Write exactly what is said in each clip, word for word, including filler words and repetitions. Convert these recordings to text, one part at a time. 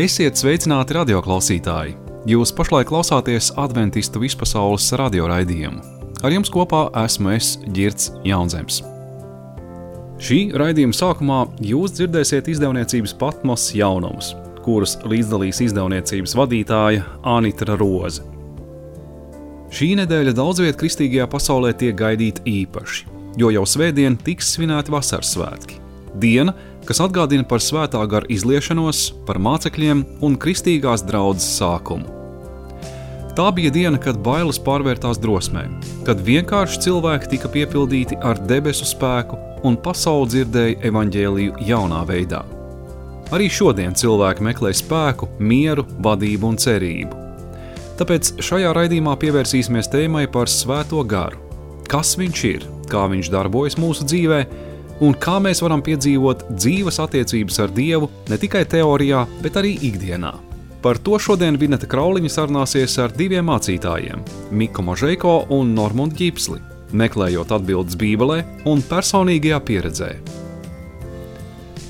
Esiet sveicināti radioklausītāji! Jūs pašlaik klausāties Adventistu vispasaules radioraidījumu. Ar jums kopā esmu es, Ģirds Jaunzems. Šī raidījuma sākumā jūs dzirdēsiet izdevniecības Patmos jaunumus, kurus līdzdalīs izdevniecības vadītāja Anitra Roze. Šī nedēļa daudzviet kristīgajā pasaulē tiek gaidīta īpaši, jo jau svētdien tiks svinēti vasaras svētki. Diena, kas atgādina par svētā gara izliešanos, par mācekļiem un kristīgās draudzes sākumu. Tā bija diena, kad bailes pārvērtās drosmē, kad vienkārši cilvēki tika piepildīti ar debesu spēku un pasauli dzirdēja evaņģēliju jaunā veidā. Arī šodien cilvēki meklē spēku, mieru, vadību un cerību. Tāpēc šajā raidījumā pievērsīsimies tēmai par svēto garu. Kas viņš ir, kā viņš darbojas mūsu dzīvē, un kā mēs varam piedzīvot dzīves attiecības ar Dievu ne tikai teorijā, bet arī ikdienā. Par to šodien Vineta Krauliņa sarunāsies ar diviem mācītājiem – Miku Mažeiko un Normundu Ģipsli, meklējot atbildes Bībelē un personīgajā pieredzē.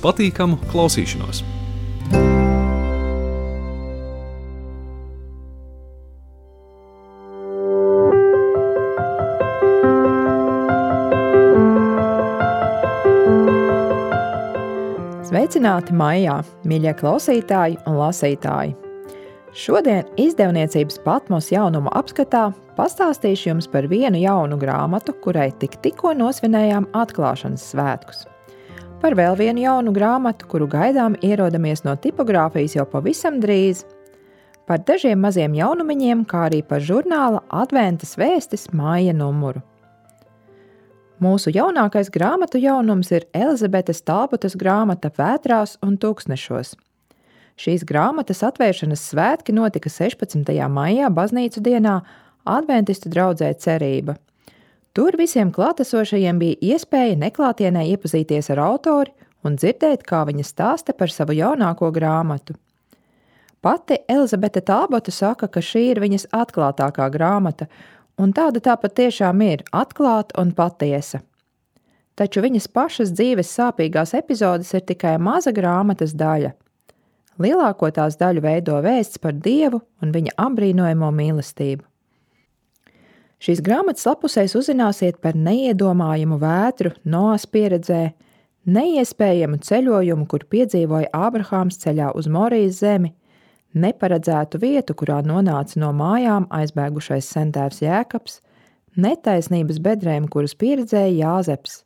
Patīkamu klausīšanos! Sveicināti maijā, mīļie klausītāji un lasītāji! Šodien izdevniecības Patmos jaunumu apskatā pastāstīšu jums par vienu jaunu grāmatu, kurai tik tikko nosvinējām atklāšanas svētkus. Par vēl vienu jaunu grāmatu, kuru gaidām ierodamies no tipogrāfijas jau pavisam drīz. Par dažiem maziem jaunumiņiem, kā arī par žurnāla Adventas vēstis māja numuru. Mūsu jaunākais grāmatu jaunums ir Elizabetes Talbotas grāmata Vētrās un tūkstnešos. Šīs grāmatas atvēršanas svētki notika sešpadsmitajā maijā baznīcu dienā Adventistu draudzē Cerība. Tur visiem klātesošajiem bija iespēja neklātienē iepazīties ar autori un dzirdēt, kā viņa stāsta par savu jaunāko grāmatu. Pati Elizabete Talbota saka, ka šī ir viņas atklātākā grāmata, un tāda tā patiešām ir atklāta un patiesa. Taču viņas pašas dzīves sāpīgās epizodes ir tikai maza grāmatas daļa. Lielāko tās daļu veido vēsts par Dievu un viņa apbrīnojamo mīlestību. Šīs grāmatas lapusēs uzzināsiet par neiedomājumu vētru Noas pieredzē, neiespējamu ceļojumu, kur piedzīvoja Ābrahāms ceļā uz Morijas zemi, neparedzētu vietu, kurā nonāca no mājām aizbēgušais sentēvs Jēkabs, netaisnības bedrēm, kuras pieredzēja Jāzeps,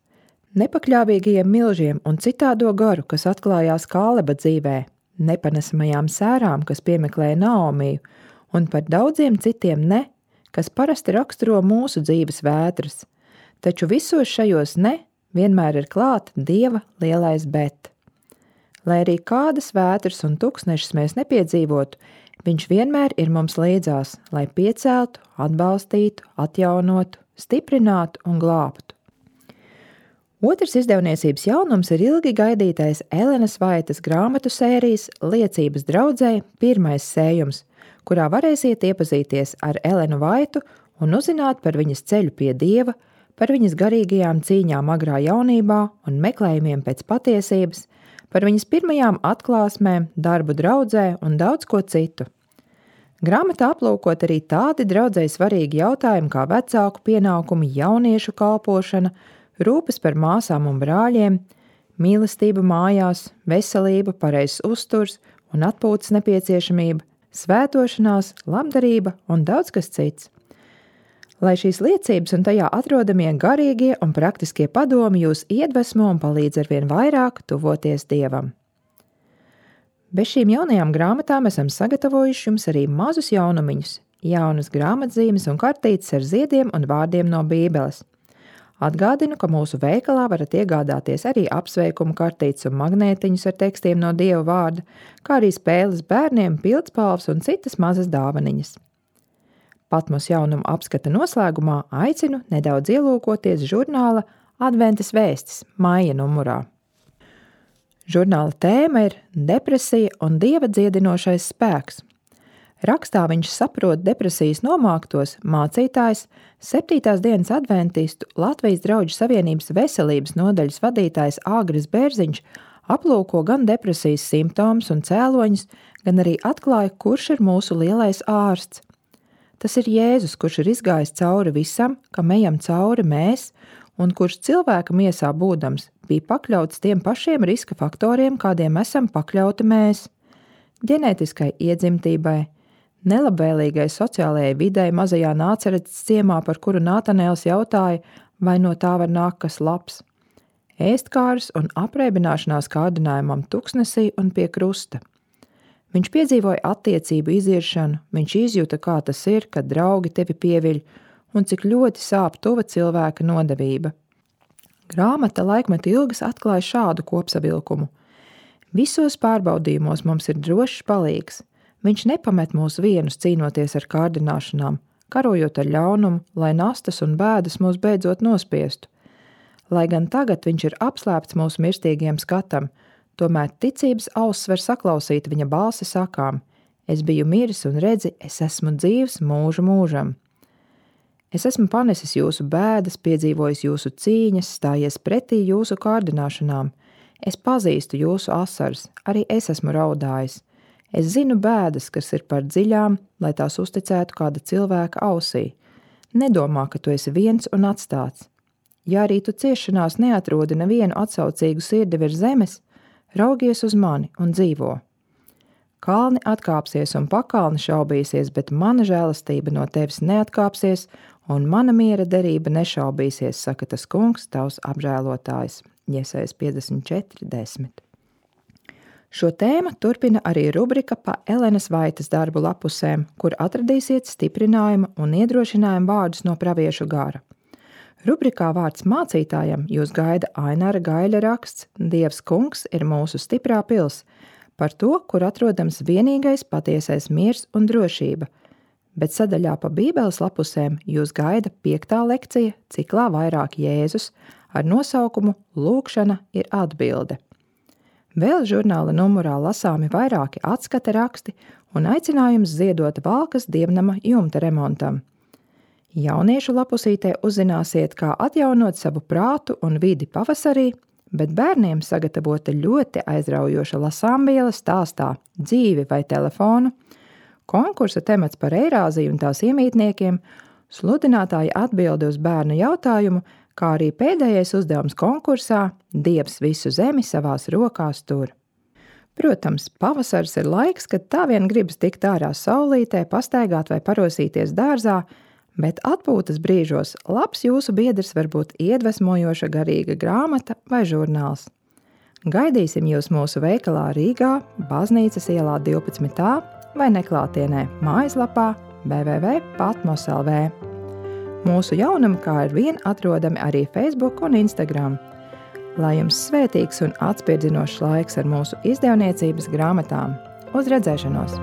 nepakļāvīgajiem milžiem un citādo garu, kas atklājās Kāleba dzīvē, nepanesamajām sērām, kas piemeklēja Naomiju, un par daudziem citiem ne, kas parasti raksturo mūsu dzīves vētras. Taču visos šajos ne vienmēr ir klāt Dieva lielais bet. Lai arī kādas vētras un tuksnešas mēs nepiedzīvotu, viņš vienmēr ir mums līdzās, lai pieceltu, atbalstītu, atjaunotu, stiprinātu un glābtu. Otrs izdevniecības jaunums ir ilgi gaidītais Elenas Vaitas grāmatu sērijas Liecības draudzē pirmais sējums, kurā varēsiet iepazīties ar Elenu Vaitu un uzzināt par viņas ceļu pie Dieva, par viņas garīgajām cīņām agrā jaunībā un meklējumiem pēc patiesības, par viņas pirmajām atklāsmēm, darbu draudzē un daudz ko citu. Grāmatā aplūkot arī tādi draudzei svarīgi jautājumi kā vecāku pienākumi, jauniešu kalpošana, rūpes par māsām un brāļiem, mīlestība mājās, veselība, pareizs uzturs un atpūtas nepieciešamība, svētošanās, labdarība un daudz kas cits. Lai šīs liecības un tajā atrodamie garīgie un praktiskie padomi jūs iedvesmo un palīdz arvien vairāk tuvoties Dievam. Bez šīm jaunajām grāmatām esam sagatavojuši jums arī mazus jaunumiņus, jaunas grāmatzīmes un kartītes ar ziediem un vārdiem no Bībeles. Atgādinu, ka mūsu veikalā varat iegādāties arī apsveikumu kartītes un magnētiņus ar tekstiem no Dieva vārda, kā arī spēles bērniem, pildspalvas un citas mazas dāvaniņas. Patmos jaunumu apskata noslēgumā aicinu nedaudz ielūkoties žurnāla Adventas vēstis māja numurā. Žurnāla tēma ir depresija un Dieva dziedinošais spēks. Rakstā viņš saprot depresijas nomāktos mācītājs, septītās dienas adventistu Latvijas drauģu savienības veselības nodaļas vadītājs Āgris Bērziņš aplūko gan depresijas simptomus un cēloņus, gan arī atklāja, kurš ir mūsu lielais ārsts. Tas ir Jēzus, kurš ir izgājis cauri visam, kam ejam cauri mēs, un kurš cilvēka miesā būdams bija pakļauts tiem pašiem riska faktoriem, kādiem esam pakļauti mēs. Ģenētiskai iedzimtībai, nelabvēlīgai sociālajai videi mazajā Nāceretes ciemā, par kuru Nātanēls jautāja, vai no tā var nākt kas labs. Ēstkārs un apreibināšanās kārdinājumam tuksnesī un pie krusta. Viņš piedzīvoja attiecību iziršanu, viņš izjuta, kā tas ir, kad draugi tevi pieviļ, un cik ļoti sāp tuva cilvēka nodevība. Grāmata Laikmetu ilgas atklāja šādu kopsavilkumu. Visos pārbaudījumos mums ir drošs palīgs. Viņš nepamet mūs vienus cīnoties ar kārdināšanām, karojot ar ļaunumu, lai nastas un bēdas mūs beidzot nospiestu. Lai gan tagad viņš ir apslēpts mūsu mirstīgiem skatam, tomēr ticības auss var saklausīt viņa balsi sakām: es biju miris un redzi, es esmu dzīvs mūžu mūžam. Es esmu panesis jūsu bēdas, piedzīvojis jūsu cīņas, stājies pretī jūsu kārdināšanām. Es pazīstu jūsu asaras, arī es esmu raudājis. Es zinu bēdas, kas ir par dziļām, lai tās uzticētu kāda cilvēka ausī. Nedomā, ka tu esi viens un atstāts. Ja arī tu ciešanās neatrodi nevienu atsaucīgu sirdi virs zemes, raugies uz mani un dzīvo. Kalni atkāpsies un pakalni šaubīsies, bet mana žēlastība no tevis neatkāpsies, un mana miera derība nešaubīsies, saka tas kungs, tavs apžēlotājs. Jesajas piecdesmit četri desmit. Šo tēmu turpina arī rubrika pa Elenas Vaitas darbu lapusēm, kur atradīsiet stiprinājumu un iedrošinājumu vārdus no praviešu gara. Rubrikā vārds mācītājam jūs gaida Ainara Gaļa raksts Dievs kungs ir mūsu stiprā pils, par to, kur atrodams vienīgais patiesais miers un drošība, bet sadaļā pa Bībeles lapusēm jūs gaida piektā lekcija ciklā Vairāk Jēzus ar nosaukumu Lūkšana ir atbilde. Vēl žurnāla numurā lasāmi vairāki atskata raksti un aicinājums ziedot Valkas dievnama jumta remontam. Jauniešu lapusītē uzzināsiet, kā atjaunot savu prātu un vidi pavasarī, bet bērniem sagatavota ļoti aizraujoša lasāmviela stāstā Dzīvi vai telefonu, konkursa temats par Eirāziju un tās iemītniekiem, sludinātāja atbilde uz bērnu jautājumu, kā arī pēdējais uzdevums konkursā Dievs visu zemi savās rokās tur. Protams, pavasars ir laiks, kad tā vien gribas tikt ārā saulītē, pastaigāt vai parosīties dārzā, bet atpūtas brīžos labs jūsu biedrs var būt iedvesmojoša garīga grāmata vai žurnāls. Gaidīsim jūs mūsu veikalā Rīgā, Baznīcas ielā divpadsmit A vai neklātienē mājaslapā w w w punkt patmos punkt l v. Mūsu jaunumi kā ar vien atrodami arī Facebook un Instagram. Lai jums svētīgs un atspirdzinošs laiks ar mūsu izdevniecības grāmatām. Uz redzēšanos!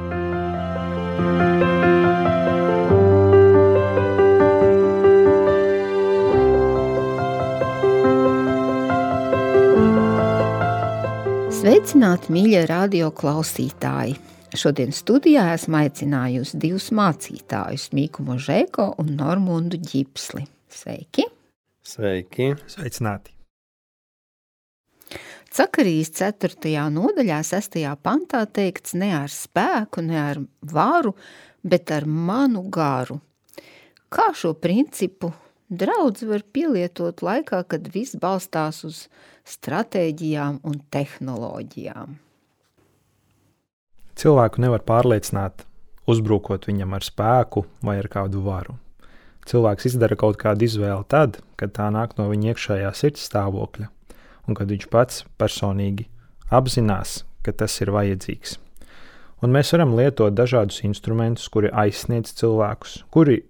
Sveicināti, mīļie radio klausītāji! Šodien studijā esmu aicinājusi divus mācītājus, Mīku Možēko un Normundu Ģipsli. Sveiki! Sveiki! Sveicināti! Cakarijas ceturtajā nodaļā, sestajā pantā teikts ne ar spēku, ne ar varu, bet ar manu garu. Kā šo principu draudz var pielietot laikā, kad viss balstās uz stratēģijām un tehnoloģijām? Cilvēku nevar pārliecināt, uzbrukot viņam ar spēku vai ar kādu varu. Cilvēks izdara kaut kādu izvēli tad, kad tā nāk no viņa iekšējā sirds stāvokļa, un kad viņš pats personīgi apzinās, ka tas ir vajadzīgs. Un mēs varam lietot dažādus instrumentus, kuri aizsniedz cilvēkus, kuri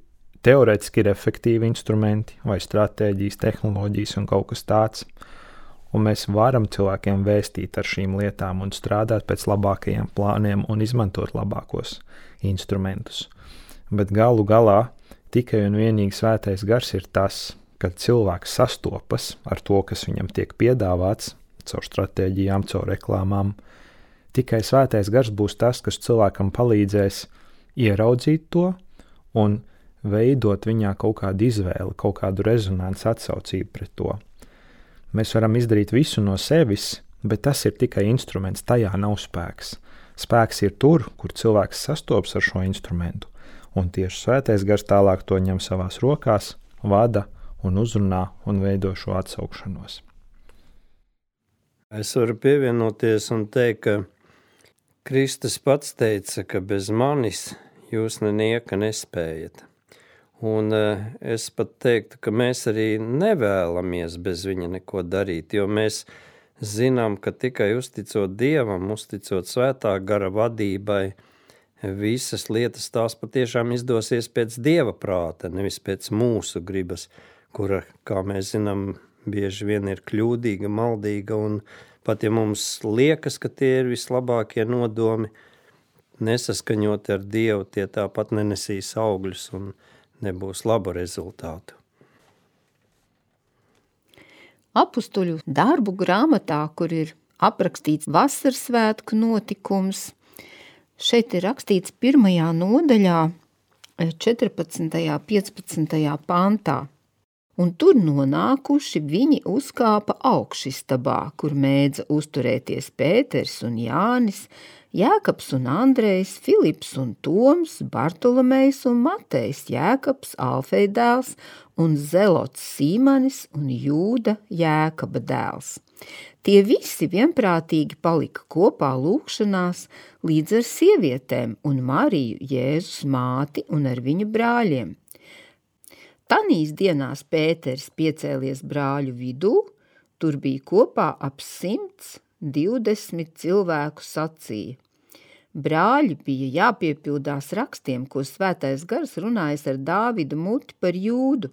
teorētiski ir efektīvi instrumenti vai stratēģijas, tehnoloģijas un kaut kas tāds. Un mēs varam cilvēkiem vēstīt ar šīm lietām un strādāt pēc labākajiem plāniem un izmantot labākos instrumentus. Bet galu galā tikai un vienīgi svētais gars ir tas, kad cilvēks sastopas ar to, kas viņam tiek piedāvāts, caur stratēģijām, caur reklāmām. Tikai svētais gars būs tas, kas cilvēkam palīdzēs ieraudzīt to un veidot viņā kaut kādu izvēli, kaut kādu rezonanci atsaucību pret to. Mēs varam izdarīt visu no sevis, bet tas ir tikai instruments, tajā nav spēks. Spēks ir tur, kur cilvēks sastopas ar šo instrumentu, un tieši Svētais Gars tālāk to ņem savās rokās, vada un uzrunā un veido šo atsaukšanos. Es varu pievienoties un teikt, ka Kristus pats teica, ka bez manis jūs nenieka nespējat. Un es pat teiktu, ka mēs arī nevēlamies bez viņa neko darīt, jo mēs zinām, ka tikai uzticot Dievam, uzticot Svētā gara vadībai, visas lietas tās patiešām izdosies pēc Dieva prāta, nevis pēc mūsu gribas, kura, kā mēs zinām, bieži vien ir kļūdīga, maldīga, un pat ja mums liekas, ka tie ir vislabākie nodomi, nesaskaņoti ar Dievu, tie tāpat nenesīs augļus un nebūs labu rezultātu. Apustuļu darbu grāmatā, kur ir aprakstīts vasaras svētku notikums, šeit ir rakstīts pirmajā nodaļā, četrpadsmitajā, piecpadsmitajā pantā. Un tur nonākuši viņi uzkāpa augšistabā, kur mēdza uzturēties Pēters un Jānis, Jēkabs un Andrejs, Filips un Toms, Bartolomejs un Matejs, Jēkabs, Alfeja dēls un Zelots Sīmanis un Jūda, Jēkaba dēls. Tie visi vienprātīgi palika kopā lūgšanās līdz ar sievietēm un Mariju, Jēzus māti un ar viņa brāļiem. Tanīs dienās Pēters piecēlies brāļu vidū, tur bija kopā ap simts divdesmit cilvēku sacīja. Brāļi bija jāpiepildās rakstiem, ko Svētais Gars runājas ar Dāvida muti par Jūdu.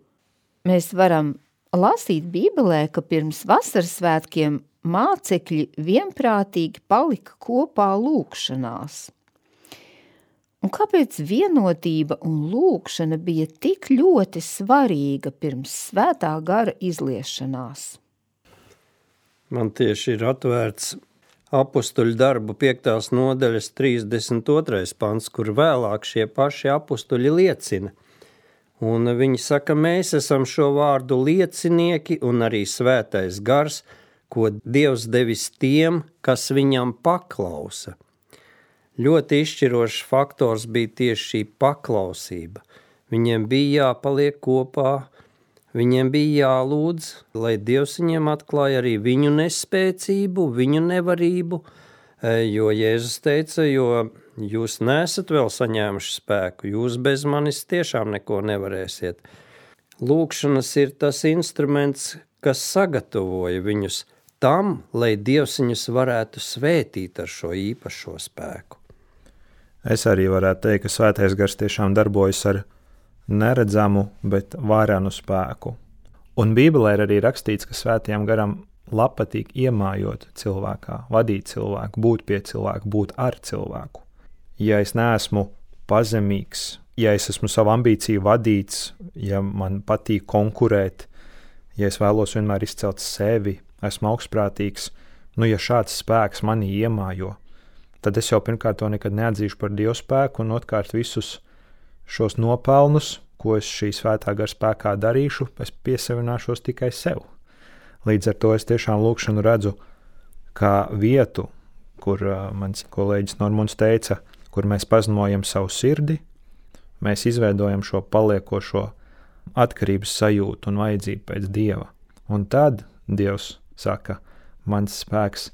Mēs varam lasīt Bībelē, ka pirms vasaras svētkiem mācekļi vienprātīgi palika kopā lūgšanās. Un kāpēc vienotība un lūgšana bija tik ļoti svarīga pirms Svētā Gara izliešanās? Man tieši ir atvērts apustuļu darbu piektās nodaļas trīsdesmit otrais pants, kur vēlāk šie paši apustuļi liecina. Un viņi saka, mēs esam šo vārdu liecinieki un arī Svētais Gars, ko Dievs devis tiem, kas viņam paklausa. Ļoti izšķirošs faktors bija tieši šī paklausība. Viņiem bija jāpaliek kopā, viņiem bija jālūdz, lai Dievs viņiem atklāja arī viņu nespēcību, viņu nevarību, jo Jēzus teica, jo jūs nesat vēl saņēmuši spēku, jūs bez manis tiešām neko nevarēsiet. Lūgšanas ir tas instruments, kas sagatavoja viņus tam, lai Dievs viņus varētu svētīt ar šo īpašo spēku. Es arī varētu teikt, ka Svētais Gars tiešām darbojas ar neredzamu, bet varenu spēku. Un Bībelē ir arī rakstīts, ka Svētajam Garam patīk iemājot cilvēkā, vadīt cilvēku, būt pie cilvēku, būt ar cilvēku. Ja es neesmu pazemīgs, ja es esmu savu ambīciju vadīts, ja man patīk konkurēt, ja es vēlos vienmēr izcelt sevi, esmu augstprātīgs, nu ja šāds spēks manī iemājo, tad es jau pirmkārt to nekad neatzīšu par Dievu spēku un otrkārt visus šos nopelnus, ko es šī Svētā Gara spēkā darīšu, es piesavināšos tikai sev. Līdz ar to es tiešām lūgšanu redzu kā vietu, kur uh, mans kolēģis Normunds teica, kur mēs pazinojam savu sirdi, mēs izveidojam šo paliekošo atkarības sajūtu un vajadzību pēc Dieva. Un tad Dievs saka, mans spēks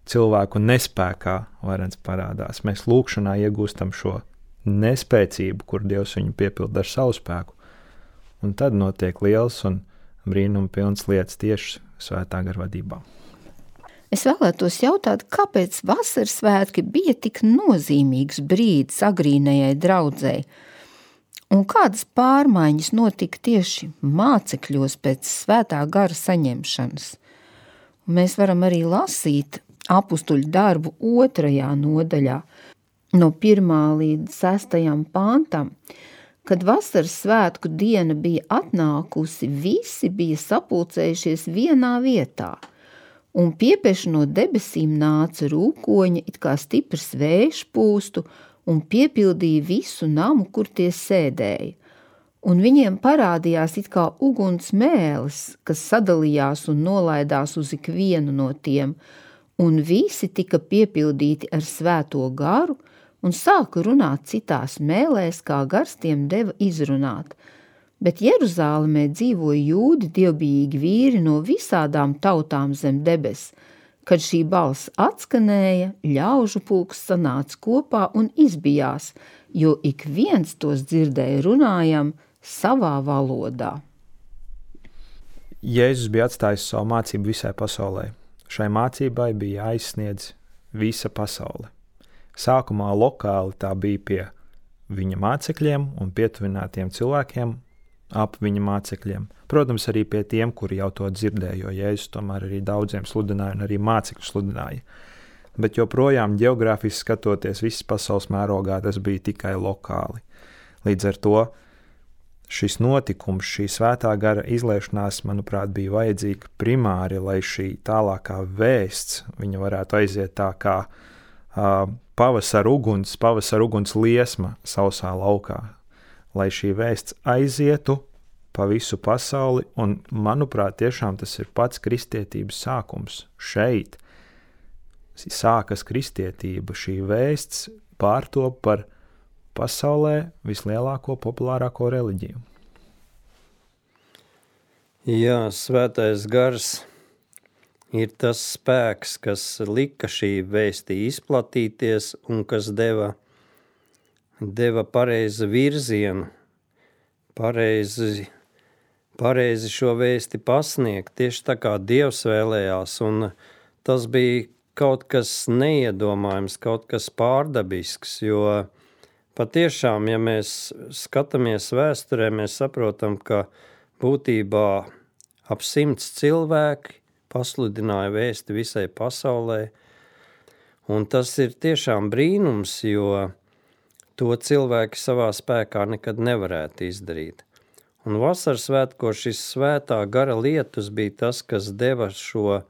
cilvēku nespēkā varens parādās. Mēs lūgšanā iegūstam šo nespēcību, kur Dievs viņu piepilda ar savu spēku. Un tad notiek liels un brīnuma pilns lietas tieši Svētā Gara vadībā. Es vēlētos jautāt, kāpēc vasaras svētki bija tik nozīmīgs brīdis agrīnajai draudzei? Un kādas pārmaiņas notika tieši mācekļos pēc Svētā Gara saņemšanas? Un mēs varam arī lasīt apustuļu darbu otrajā nodaļā, no pirmā līdz sestajam pantam, kad vasaras svētku diena bija atnākusi, visi bija sapulcējušies vienā vietā, un piepeši no debesīm nāca rūkoņa, it kā stiprs vējš pūstu, un piepildīja visu namu, kur tie sēdēja. Un viņiem parādījās it kā uguns mēlis, kas sadalījās un nolaidās uz ikvienu no tiem, un visi tika piepildīti ar svēto garu un sāka runāt citās mēlēs, kā gars tiem deva izrunāt. Bet Jeruzālemē dzīvoja jūdi dievbijīgi vīri no visādām tautām zem debes. Kad šī balss atskanēja, ļaužu pulks sanāca kopā un izbijās, jo ik viens tos dzirdēja runājam savā valodā. Jēzus bija atstājis savu mācību visai pasaulē. Šai mācībai bija jāizsniedz visa pasaule. Sākumā lokāli tā bija pie viņa mācekļiem un pietuvinātiem cilvēkiem ap viņa mācekļiem. Protams, arī pie tiem, kuri jau to dzirdēja, jo Jēzus tomēr arī daudziem sludināja un arī mācekļu sludināja. Bet joprojām ģeogrāfiski skatoties visas pasaules mērogā, tas bija tikai lokāli. Līdz ar to šis notikums, šī svētā gara izliešanās, manuprāt, bija vajadzīga primāri, lai šī tālākā vēsts viņa varētu aiziet tā kā uh, pavasara uguns, pavasara uguns liesma sausā laukā. Lai šī vēsts aizietu pa visu pasauli, un, manuprāt, tiešām tas ir pats kristietības sākums. Šeit sākas kristietība, šī vēsts pārtop par pasaulē vislielāko, populārāko reliģiju. Jā, svētais gars ir tas spēks, kas lika šī vēstī izplatīties un kas deva deva pareizi virzienu, pareizi, pareizi šo vēsti pasniegt, tieši tā kā Dievs vēlējās, un tas bija kaut kas neiedomājams, kaut kas pārdabisks, jo patiešām, ja mēs skatāmies vēsturē, mēs saprotam, ka būtībā ap simts cilvēki pasludināja vēsti visai pasaulē, un tas ir tiešām brīnums, jo to cilvēki savā spēkā nekad nevarētu izdarīt. Un vasaras svētko šis svētā gara lietus bija tas, kas deva šo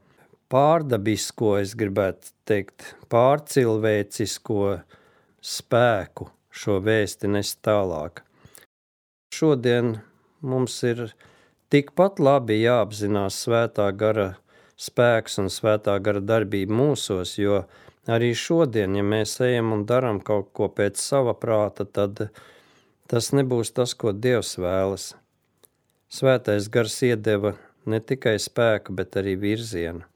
pārdabisko, es gribētu teikt, pārcilvēcisko spēku šo vēsti nest tālāk. Šodien mums ir tikpat labi jāapzinās svētā gara spēks un svētā gara darbība mūsos, jo arī šodien, ja mēs ejam un daram kaut ko pēc sava prāta, tad tas nebūs tas, ko Dievs vēlas. Svētais gars iedeva ne tikai spēku, bet arī virzienu.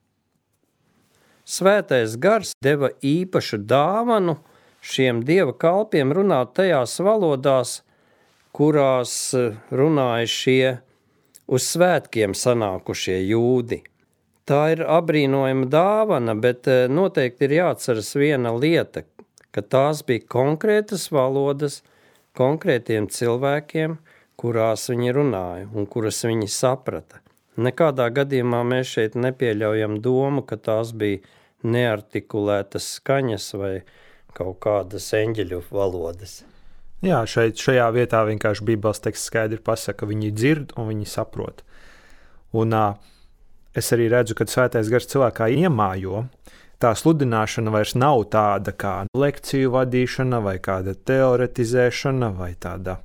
Svētais gars deva īpašu dāvanu šiem Dieva kalpiem runāt tajās valodās, kurās runāja šie uz svētkiem sanākušie jūdi. Tā ir abrīnojama dāvana, bet noteikti ir jāatceras viena lieta, ka tās bija konkrētas valodas konkrētiem cilvēkiem, kurās viņi runāja un kuras viņi saprata. Nekādā gadījumā mēs šeit nepieļaujam domu, ka tās bija neartikulētas skaņas vai kaut kādas eņģeļu valodas. Jā, šeit, šajā vietā vienkārši Bībeles teksts skaidri pasaka, viņi dzird un viņi saprot. Un uh, es arī redzu, kad svētais gars cilvēkā iemājo, tā sludināšana vairs nav tāda kā lekciju vadīšana vai kāda teoretizēšana vai tāda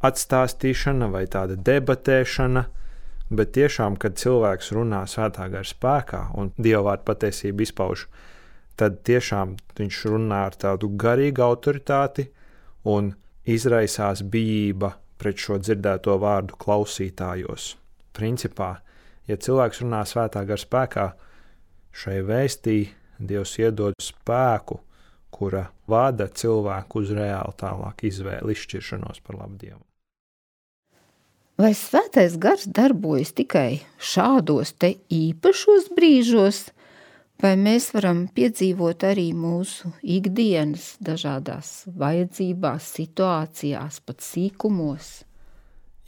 atstāstīšana vai tāda debatēšana, bet tiešām, kad cilvēks runā svētā gara spēkā un dievvvārda patiesību izpauž, tad tiešām viņš runā ar tādu garīgu autoritāti un izraisās bijība pret šo dzirdēto vārdu klausītājos. Principā, ja cilvēks runā svētā gara spēkā, šai vēstī Dievs iedod spēku, kura vada cilvēku uz reāli tālāk izvēli, izšķiršanos par labu Dievu. Vai svētais gars darbojas tikai šādos te īpašos brīžos, vai mēs varam piedzīvot arī mūsu ikdienas dažādās vajadzībās, situācijās, pat sīkumos?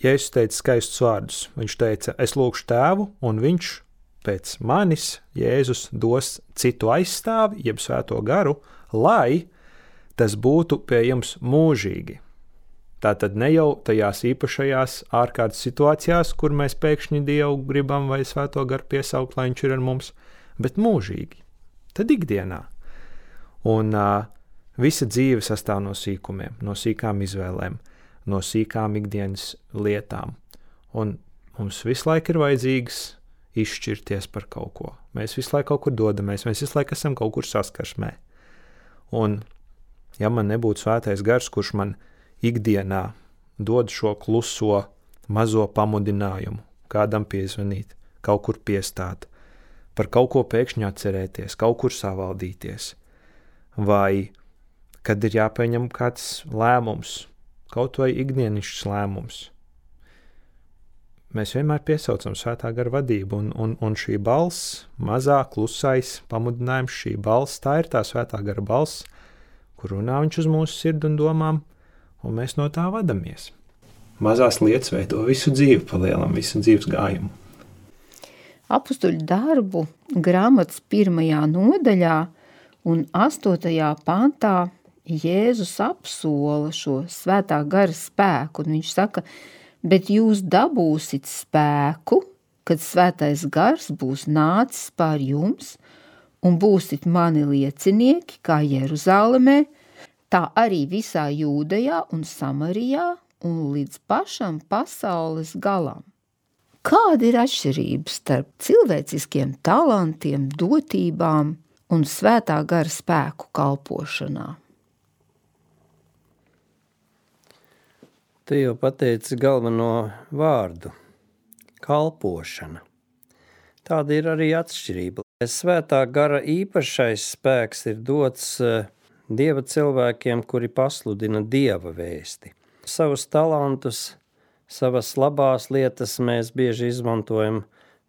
Jēzus teica skaistus vārdus. Viņš teica, es lūgšu tēvu, un viņš pēc manis, Jēzus, dos citu aizstāvi, jeb svēto garu, lai tas būtu pie jums mūžīgi. Tātad ne jau tajās īpašajās ārkārtas situācijās, kur mēs pēkšņi Dievu gribam vai svēto garu piesaukt, lai viņš ir ar mums, bet mūžīgi. Tad ikdienā. Un uh, visa dzīve sastāv no sīkumiem, no sīkām izvēlēm, no sīkām ikdienas lietām. Un mums visu laiku ir vajadzīgas izšķirties par kaut ko. Mēs visu laiku kaut kur dodamies, mēs visu laiku esam kaut kur saskarsmē. Un, ja man nebūtu svētais gars, kurš man ikdienā dod šo kluso, mazo pamudinājumu, kādam piezvanīt, kaut kur piestāt, par kaut ko pēkšņi atcerēties, kaut kur savaldīties, vai kad ir jāpieņem kāds lēmums, kaut vai ikdienišķs lēmums. Mēs vienmēr piesaucam svētā gara vadību, un, un, un šī balss, mazā, klusais pamudinājums, šī balss, tā ir tā svētā gara balss, kur runā viņš uz mūsu sirdi un domām, un mēs no tā vadamies. Mazās lietas veido visu dzīvi, palielam visu dzīves gājumu. Apustuļu darbu grāmatas pirmajā nodaļā un astotajā pantā Jēzus apsola šo svētā gara spēku, un viņš saka, bet jūs dabūsit spēku, kad svētais gars būs nācis pār jums, un būsit mani liecinieki, kā Jeruzalemē, tā arī visā Jūdejā un Samarijā un līdz pašam pasaules galam. Kāda ir atšķirība starp cilvēciskiem talantiem, dotībām un svētā gara spēku kalpošanā? Tu jau pateici galveno vārdu – kalpošana. Tāda ir arī atšķirība. Svētā gara īpašais spēks ir dots Dieva cilvēkiem, kuri pasludina Dieva vēsti. Savus talantus, savas labās lietas mēs bieži izmantojam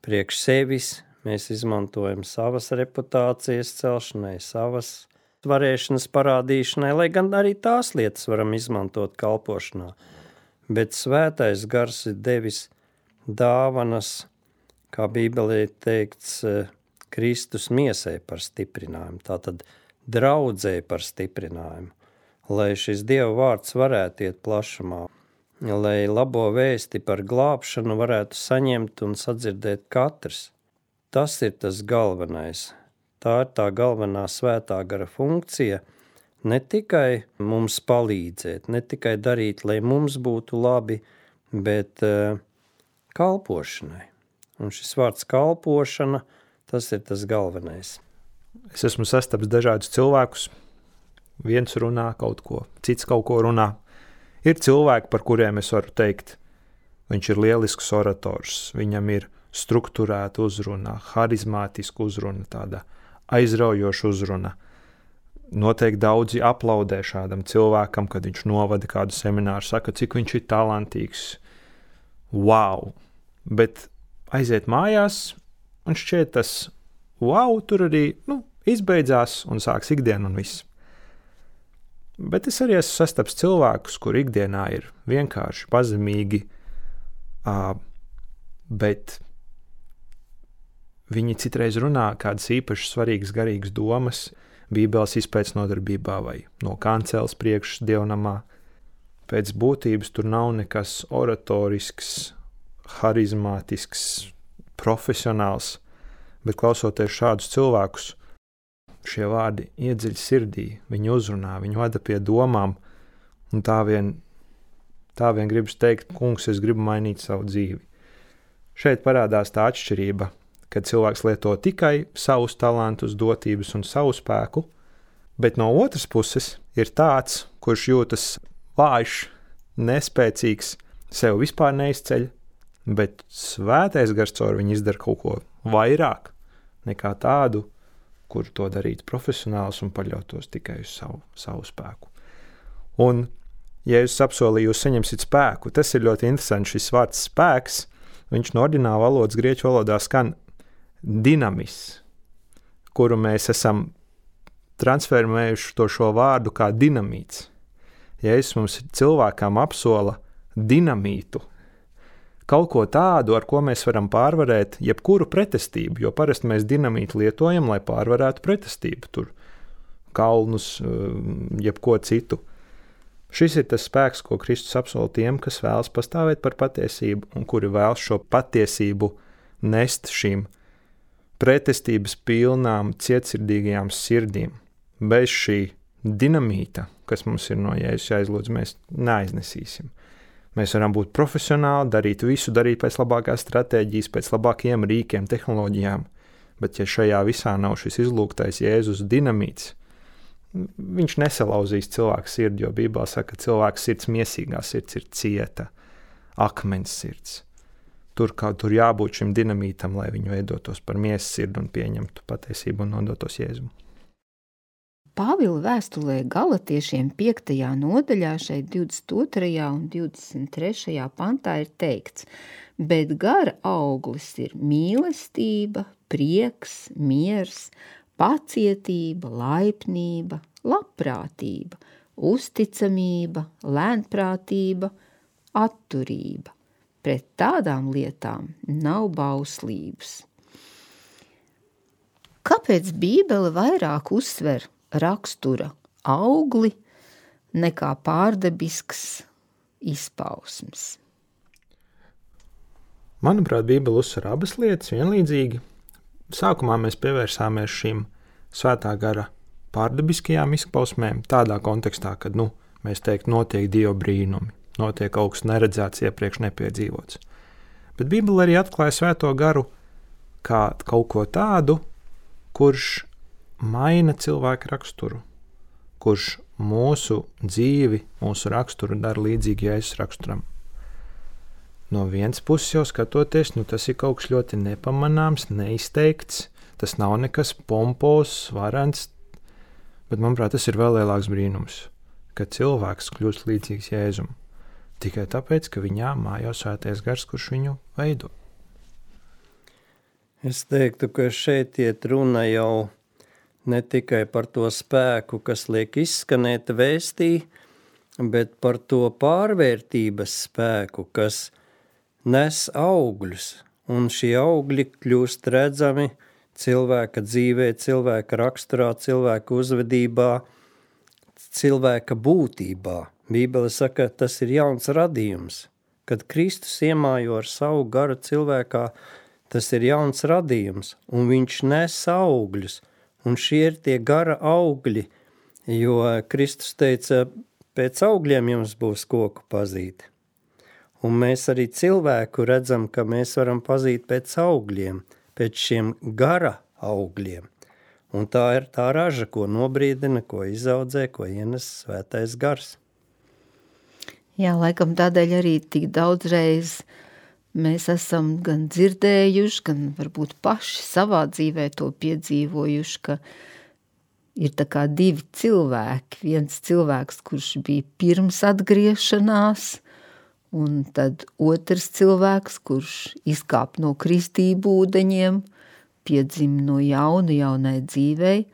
priekš sevis, mēs izmantojam savas reputācijas celšanai, savas varēšanas parādīšanai, lai gan arī tās lietas varam izmantot kalpošanā. Bet svētais gars ir devis dāvanas, kā Bībelē teikts, Kristus miesai par stiprinājumu, tātad draudzē par stiprinājumu, lai šis Dieva vārds varētu iet plašumā, lai labo vēsti par glābšanu varētu saņemt un sadzirdēt katrs. Tas ir tas galvenais. Tā ir tā galvenā svētā gara funkcija, ne tikai mums palīdzēt, ne tikai darīt, lai mums būtu labi, bet uh, kalpošanai. Un šis vārds kalpošana, tas ir tas galvenais. Es esmu sastaps dažādus cilvēkus. Viens runā kaut ko, cits kaut ko runā. Ir cilvēki, par kuriem es varu teikt, viņš ir lielisks orators, viņam ir strukturēta uzruna, harizmātiska uzruna, tāda aizraujoša uzruna. Noteikti daudzi aplaudē šādam cilvēkam, kad viņš novada kādu semināru, saka, cik viņš ir talantīgs. Wow! Bet aiziet mājās, un šķiet tas wow, tur arī nu, izbeidzās un sāks ikdiena un viss. Bet es arī esmu sastaps cilvēkus, kur ikdienā ir vienkārši pazemīgi, uh, bet viņi citreiz runā kādas īpašas svarīgas garīgas domas, Bībeles izpēc nodarbībā vai no kancēles priekšas dievnamā. Pēc būtības tur nav nekas oratorisks, harizmātisks, profesionāls, bet klausoties šādus cilvēkus, šie vārdi iedziļ sirdī, viņi uzrunā, viņi vada pie domām, un tā vien, tā vien gribas teikt, kungs, es gribu mainīt savu dzīvi. Šeit parādās tā atšķirība, kad cilvēks lieto tikai savus talantus, dotības un savu spēku, bet no otras puses ir tāds, kurš jūtas vājš, nespēcīgs, sev vispār neizceļ, bet svētais gars caur viņu izdara kaut ko vairāk nekā tādu, kur to darīt profesionāls un paļautos tikai uz savu, savu spēku. Un, ja jūs apsolīju, jūs saņemsiet spēku, tas ir ļoti interesanti, šis vārds spēks, viņš no ordināla valodas grieķu valodā skan dinamis, kuru mēs esam transformējuši to šo vārdu kā dinamīts. Ja es mums cilvēkām apsola dinamītu, kaut ko tādu, ar ko mēs varam pārvarēt jebkuru pretestību, jo parasti mēs dinamītu lietojam, lai pārvarētu pretestību, tur kalnus, jebko citu. Šis ir tas spēks, ko Kristus apsola tiem, kas vēlas pastāvēt par patiesību un kuri vēlas šo patiesību nest šīm pretestības pilnām, cietsirdīgajām sirdīm. Bez šī dinamīta, kas mums ir no Jēzus jāizlūdz, mēs neaiznesīsim. Mēs varam būt profesionāli, darīt visu, darīt pēc labākās stratēģijas, pēc labākajiem rīkiem, tehnoloģijām, bet ja šajā visā nav šis izlūgtais Jēzus dinamīts, viņš nesalauzīs cilvēku sirdi, jo Bībelē saka, ka cilvēka sirds, miesīgā sirds ir cieta, akmens sirds. Tur, kā, tur jābūt šim dinamītam, lai viņu veidotos par miesas sirdi un pieņemtu patiesību un nodotos Jēzum. Pāvila vēstulē Galatiešiem piektajā nodaļā, šeit divdesmit otrajā un divdesmit trešajā pantā ir teikts, bet gara auglis ir mīlestība, prieks, miers, pacietība, laipnība, labprātība, uzticamība, lēnprātība, atturība. Pret tādām lietām nav bauslības. Kāpēc Bībele vairāk uzsver rakstura augli nekā pārdabisks izpausmes? Manuprāt, Bībele uzsver abas lietas vienlīdzīgi. Sākumā mēs pievērsāmies šīm svētā gara pārdabiskajām izpausmēm tādā kontekstā, kad, nu, mēs teikt, notiek Dieva brīnumi, notiek kaut kas neredzēts, iepriekš nepiedzīvots. Bet Bībele arī atklāja svēto garu kā kaut ko tādu, kurš maina cilvēku raksturu, kurš mūsu dzīvi, mūsu raksturu dara līdzīgi Jēzus raksturam. No vienas puses jau skatoties, nu tas ir kaut kas ļoti nepamanāms, neizteikts, tas nav nekas pompos, varens, bet, manuprāt, tas ir vēl lielāks brīnums, ka cilvēks kļūst līdzīgs Jēzum, tikai tāpēc, ka viņā mājo svētais gars, kurš viņu veido. Es teiktu, ka šeit iet runa jau ne tikai par to spēku, kas liek izskanēt vēstī, bet par to pārvērtības spēku, kas nes augļus, un šie augļi kļūst redzami cilvēka dzīvē, cilvēka raksturā, cilvēka uzvedībā, cilvēka būtībā. Bībele saka, tas ir jauns radījums. Kad Kristus iemājo ar savu garu cilvēkā, tas ir jauns radījums, un viņš nes augļus. Un šie ir tie gara augļi, jo Kristus teica, pēc augļiem jums būs koku pazīt. Un mēs arī cilvēku redzam, ka mēs varam pazīt pēc augļiem, pēc šiem gara augļiem. Un tā ir tā raža, ko nobrīdina, ko izaudzē, ko ienes svētais gars. Jā, laikam tādēļ arī tik daudzreiz mēs esam gan dzirdējuši, gan varbūt paši savā dzīvē to piedzīvojuši, ka ir tā kā divi cilvēki. Viens cilvēks, kurš bija pirms atgriešanās, un tad otrs cilvēks, kurš izkāp no kristību ūdeņiem, piedzim no jauna jaunai dzīvei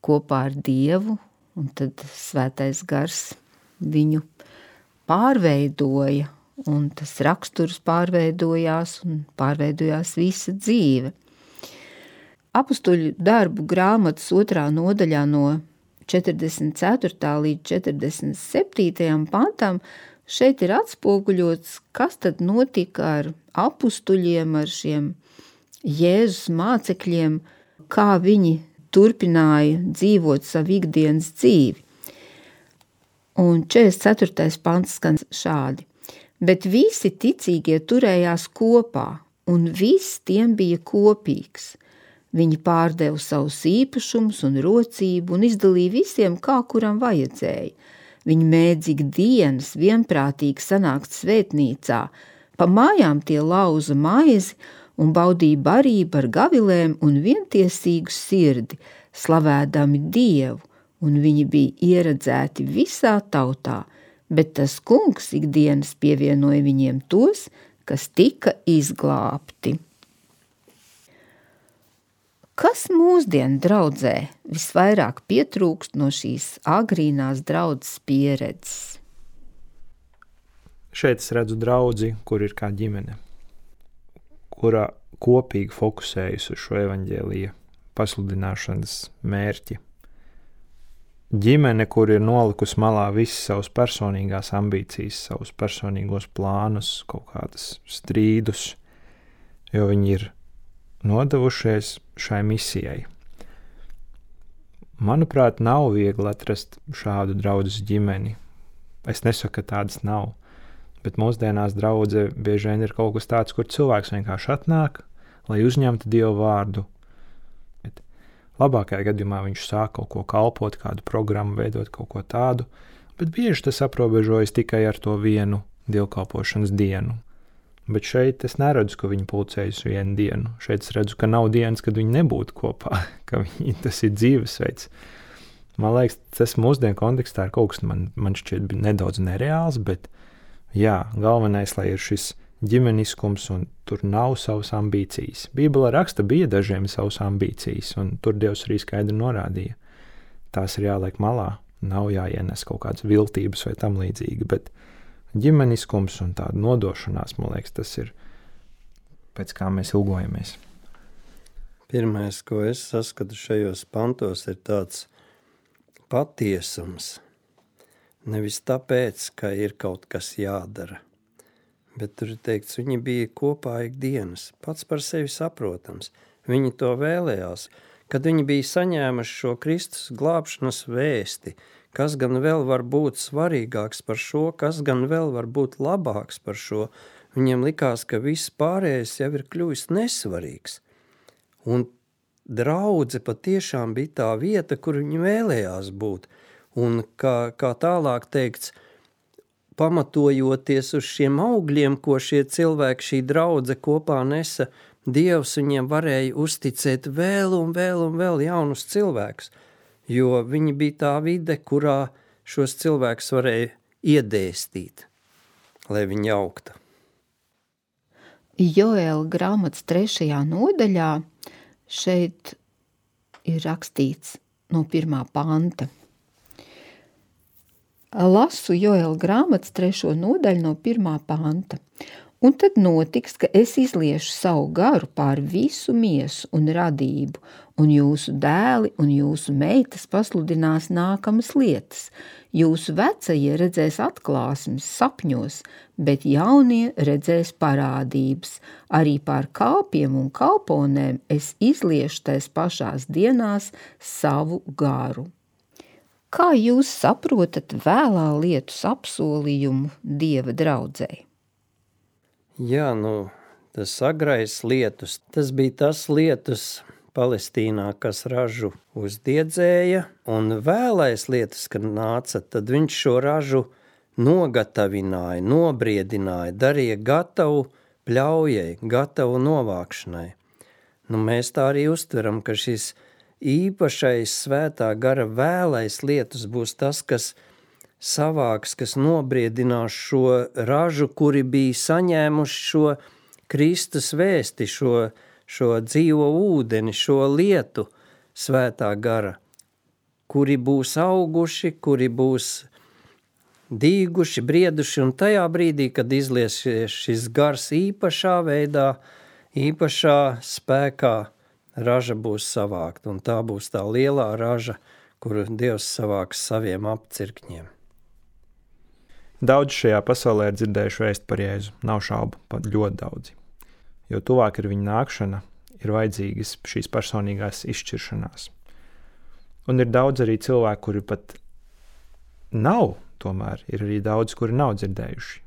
kopā ar Dievu, un tad svētais gars viņu pārveidoja, un tas raksturs pārveidojās un pārveidojās visa dzīve. Apustuļu darbu grāmatas otrā nodaļā no četrdesmit ceturtā līdz četrdesmit septītajam pantam šeit ir atspoguļots, kas tad notika ar apustuļiem, ar šiem Jēzus mācekļiem, kā viņi turpināja dzīvot savu ikdienas dzīvi. Un četrdesmit ceturtais pants skan šādi. Bet visi ticīgie turējās kopā, un viss tiem bija kopīgs. Viņi pārdeva savus īpašumus un rocību un izdalīja visiem, kā kuram vajadzēja. Viņi mēdz ikdienas vienprātīgi sanākt svētnīcā, pa mājām tie lauza maizi un baudīja barību ar gavilēm un vientiesīgu sirdi, slavēdami Dievu, un viņi bija ieredzēti visā tautā, bet tas kungs ikdienas pievienoja viņiem tos, kas tika izglābti. Kas mūsdienu draudzē visvairāk pietrūkst no šīs agrīnās draudzes pieredzes? Šeit es redzu draudzi, kur ir kā ģimene, kurā kopīgi fokusējas uz šo evaņģēlija pasludināšanas mērķi. Ģimene, kur ir nolikusi malā visas savas personīgās ambīcijas, savus personīgos plānus, kaut kādas strīdus, jo viņi ir nodevušies šai misijai. Manuprāt, nav viegli atrast šādu draudzes ģimeni. Es nesaku, ka tādas nav, Bet mūsdienās draudze bieži vien ir kaut kas tāds, kur cilvēks vienkārši atnāk, lai uzņemtu Dievu vārdu. Bet labākajā gadījumā viņš sāk kaut ko kalpot, kādu programmu veidot, kaut ko tādu, bet bieži tas aprobežojas tikai ar to vienu dievkalpošanas dienu. Bet šeit es neredzu, ka viņi pulcējas vienu dienu. Šeit es redzu, ka nav dienas, kad viņi nebūtu kopā, ka viņi, tas ir dzīvesveids. Man liekas, tas mūsdienu kontekstā ir kaut kas, man, man šķiet nedaudz nereāls, bet jā, galvenais, lai ir šis ģimeniskums un tur nav savas ambīcijas. Bībele raksta, bija dažiem savas ambīcijas, un tur Dievs arī skaidri norādīja. Tās ir jāliek malā, nav jāienes kaut kādas viltības vai tam līdzīgi, bet ģimeniskums un tāda nodošanās, man liekas, tas ir pēc kā mēs ilgojamies. Pirmais, ko es saskatu šajos pantos, ir tāds patiesums. Nevis tāpēc, ka ir kaut kas jādara, bet tur ir teikts, viņi bija kopā ikdienas, pats par sevi saprotams. Viņi to vēlējās, kad viņi bija saņēmuši šo Kristus glābšanas vēsti, kas gan vēl var būt svarīgāks par šo, kas gan vēl var būt labāks par šo. Viņiem likās, ka viss pārējais jau ir kļuvis nesvarīgs. Un draudze patiešām bija tā vieta, kur viņi vēlējās būt. Un kā, kā tālāk teikts, pamatojoties uz šiem augļiem, ko šie cilvēki, šī draudze kopā nesa, Dievs viņiem varēja uzticēt vēl un vēl un vēl jaunus cilvēkus, jo viņi bija tā vide, kurā šos cilvēkus varēja iedēstīt, lai viņi augtu. Joēla grāmatas trešajā nodaļā šeit ir rakstīts no pirmā panta. Lasu Joēla grāmatas trešo nodaļu no pirmā panta. Un tad notiks, ka es izliešu savu garu pār visu miesu un radību, un jūsu dēli un jūsu meitas pasludinās nākamas lietas. Jūsu vecie redzēs atklāsmes sapņos, bet jaunie redzēs parādības. Arī pār kalpiem un kalponēm es izliešu tais pašās dienās savu garu. Kā jūs saprotat vēlā lietus apsolījumu Dieva draudzei? Jā, nu, tas agrais lietus, tas bija tas lietus Palestīnā, kas ražu uzdiedzēja, un vēlais lietus, kad nāca, tad viņš šo ražu nogatavināja, nobriedināja, darīja gatavu pļaujai, gatavu novākšanai. Nu, mēs tā arī uztveram, ka šis īpašais svētā gara vēlais lietus būs tas, kas savāks, kas nobriedinās šo ražu, kuri bija saņēmuši šo Kristus vēsti, šo, šo dzīvo ūdeni, šo lietu svētā gara, kuri būs auguši, kuri būs dīguši, brieduši, un tajā brīdī, kad izliesies šis gars īpašā veidā, īpašā spēkā, raža būs savākta, un tā būs tā lielā raža, kuru Dievs savāks saviem apcirkņiem. Daudz šajā pasaulē ir dzirdējuši vēst par Jēzu, nav šaubu, pat ļoti daudzi. Jo tuvāk ir viņa nākšana, ir vajadzīgas šīs personīgās izšķiršanās. Un ir daudz arī cilvēku, kuri pat nav, tomēr ir arī daudz, kuri nav dzirdējuši.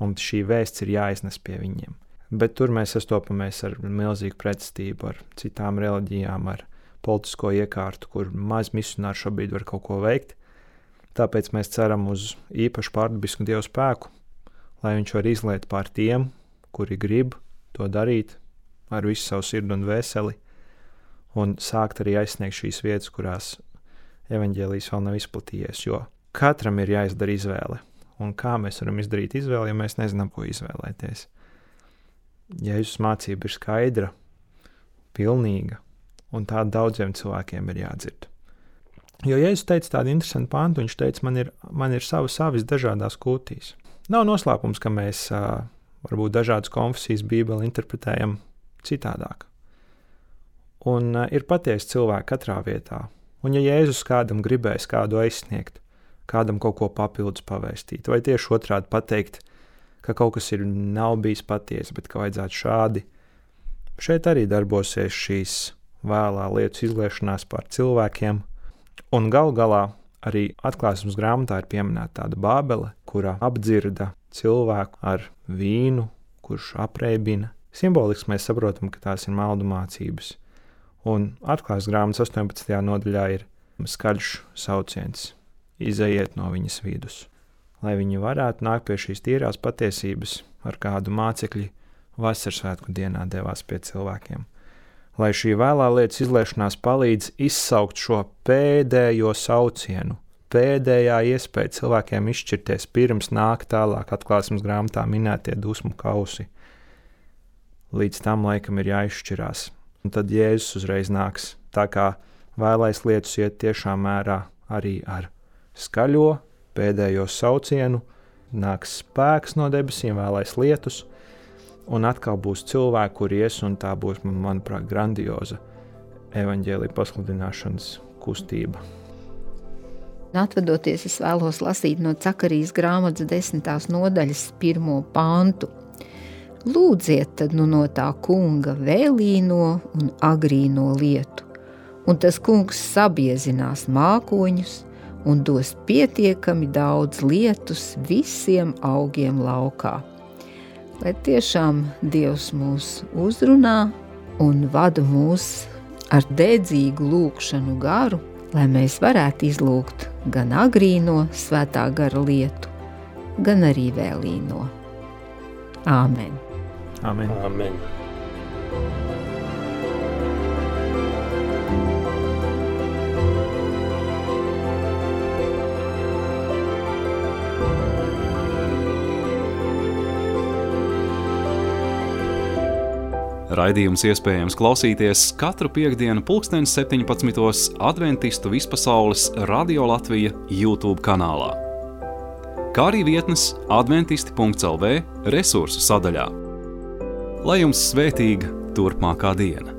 Un šī vēsts ir jāiznes pie viņiem. Bet tur mēs sastopamies ar milzīgu pretstību, ar citām reliģijām, ar politisko iekārtu, kur maz misionāri šobrīd var kaut ko veikt. Tāpēc mēs ceram uz īpašu pārdabisku Dievu spēku, lai viņš var izliet pār tiem, kuri grib to darīt ar visu savu sirdi un vēseli, un sākt arī aizsniegt šīs vietas, kurās evaņģēlijs vēl nav izplatījies, jo katram ir jāizdara izvēle. Un kā mēs varam izdarīt izvēli, ja mēs nezinām, ko izvēlēties? Jēzus mācība ir skaidra, pilnīga, un tā daudziem cilvēkiem ir jādzird. Jo Jēzus teica tādu interesantu pantu, viņš teica, man ir, man ir savas avis dažādās kūtīs. Nav noslēpums, ka mēs uh, varbūt dažādas konfesijas Bībeli interpretējam citādāk. Un uh, ir patiesi cilvēki katrā vietā. Un ja Jēzus kādam gribēs kādu aizsniegt, kādam kaut ko papildus pavēstīt, vai tieši otrādi pateikt, ka kaut kas ir nav bijis patiesi, bet ka vajadzētu šādi, šeit arī darbosies šīs vēlā lietas izliešanās pār cilvēkiem. Un gal galā arī atklāsmes grāmatā ir pieminēta tāda Bābele, kura apdzirda cilvēku ar vīnu, kurš apreibina. Simboliski mēs saprotam, ka tās ir maldu mācības. Un atklāsmes grāmatas astoņpadsmitajā nodaļā ir skaļš sauciens: izejiet no viņas vidus. Lai viņi varētu nākt pie šīs tīrās patiesības, ar kādu mācekļi vasaras svētku dienā devās pie cilvēkiem. Lai šī vēlā lietas izliešanās palīdz izsaukt šo pēdējo saucienu, pēdējā iespēja cilvēkiem izšķirties, pirms nāk tālāk atklāsmes grāmatā minētie dusmu kausi. Līdz tam laikam ir jāizšķirās. Un tad Jēzus uzreiz nāks, tā kā vēlais lietus iet tiešām mērā arī ar skaļo pēdējo saucienu, nāks spēks no debesīm, vēlais lietus, un atkal būs cilvēki, kur ies, un tā būs, manuprāt, grandioza evaņģēlija pasludināšanas kustība. Atvadoties, es vēlos lasīt no Cakarijas grāmatas desmitās nodaļas pirmo pantu. Lūdziet tad nu no tā kunga vēlīno un agrīno lietu, un tas kungs sabiezinās mākoņus un dos pietiekami daudz lietus visiem augiem laukā. Lai tiešām Dievs mūs uzrunā un vada mūs ar dedzīgu lūgšanu garu, lai mēs varētu izlūgt gan agrīno svētā gara lietu, gan arī vēlīno. Āmen. Amen. Amen. Raidījums iespējams klausīties katru piektdienu pulkstens septiņpadsmitos Adventistu vispasaules Radio Latvija YouTube kanālā, kā arī vietnes adventisti punkts el vē resursu sadaļā. Lai jums svētīga turpmākā diena!